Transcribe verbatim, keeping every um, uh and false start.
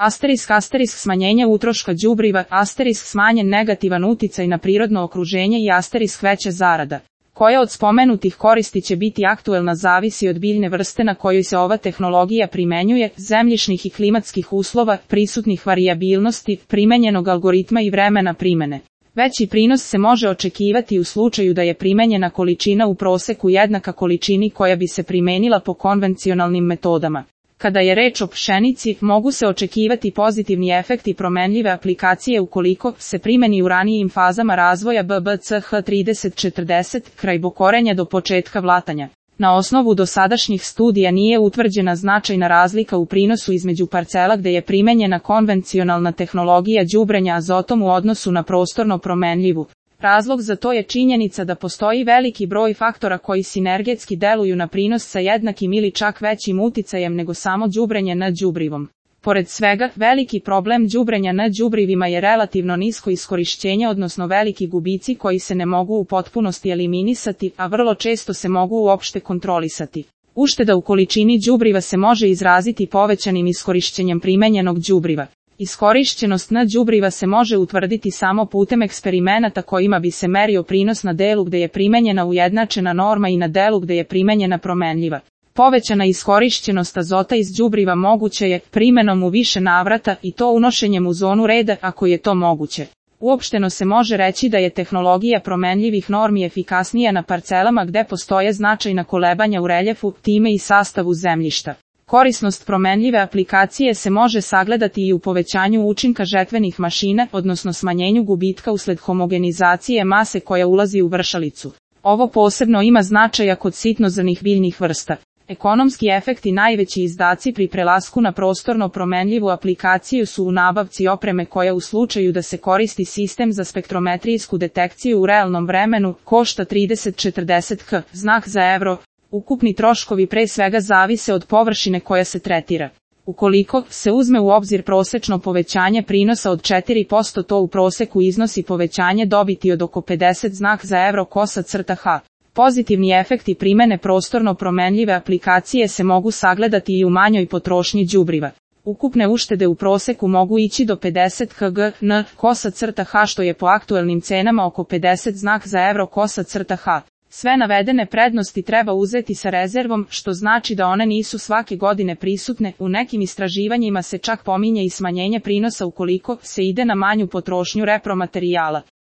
Asterisk asterisk smanjenje utroška đubriva, asterisk smanjen negativan uticaj na prirodno okruženje i asterisk veća zarada. Koja od spomenutih koristi će biti aktuelna zavisi od biljne vrste na kojoj se ova tehnologija primenjuje, zemljišnih i klimatskih uslova, prisutnih varijabilnosti, primenjenog algoritma i vremena primene. Veći prinos se može očekivati u slučaju da je primenjena količina u proseku jednaka količini koja bi se primenila po konvencionalnim metodama. Kada je reč o pšenici, mogu se očekivati pozitivni efekti promenljive aplikacije ukoliko se primeni u ranijim fazama razvoja B B C H trideset četrdeset, kraj bokorenja do početka vlatanja. Na osnovu dosadašnjih studija nije utvrđena značajna razlika u prinosu između parcela gde je primenjena konvencionalna tehnologija đubrenja azotom u odnosu na prostorno promenljivu. Razlog za to je činjenica da postoji veliki broj faktora koji sinergetski deluju na prinos sa jednakim ili čak većim uticajem nego samo đubrenje na đubrivom. Pored svega, veliki problem đubrenja na đubrivima je relativno nisko iskorišćenje, odnosno veliki gubici koji se ne mogu u potpunosti eliminisati, a vrlo često se mogu uopšte kontrolisati. Ušteda u količini đubriva se može izraziti povećanim iskorišćenjem primenjenog đubriva. Iskorišćenost na đubriva se može utvrditi samo putem eksperimenata kojima bi se merio prinos na delu gde je primenjena ujednačena norma i na delu gde je primenjena promenljiva. Povećana iskorišćenost azota iz đubriva moguće je primenom u više navrata i to unošenjem u zonu reda ako je to moguće. Uopšteno se može reći da je tehnologija promenljivih normi efikasnija na parcelama gde postoje značajna kolebanja u reljefu, time i sastavu zemljišta. Korisnost promenljive aplikacije se može sagledati i u povećanju učinka žetvenih mašina, odnosno smanjenju gubitka usled homogenizacije mase koja ulazi u vršalicu. Ovo posebno ima značaja kod sitnozrnih biljnih vrsta. Ekonomski efekti najveći izdaci pri prelasku na prostorno promenljivu aplikaciju su u nabavci opreme koja u slučaju da se koristi sistem za spektrometrijsku detekciju u realnom vremenu košta trideset četrdeset hiljada znak za evro. Ukupni troškovi pre svega zavise od površine koja se tretira. Ukoliko se uzme u obzir prosečno povećanje prinosa od četiri posto, to u proseku iznosi povećanje dobiti od oko pedeset znak za evro kosa crta H. Pozitivni efekti primene prostorno promenljive aplikacije se mogu sagledati i u manjoj potrošnji đubriva. Ukupne uštede u proseku mogu ići do pedeset hiljada n kosa crta H, što je po aktuelnim cenama oko pedeset znak za evro kosa crta H. Sve navedene prednosti treba uzeti sa rezervom, što znači da one nisu svake godine prisutne. U nekim istraživanjima se čak pominje i smanjenje prinosa ukoliko se ide na manju potrošnju repromaterijala.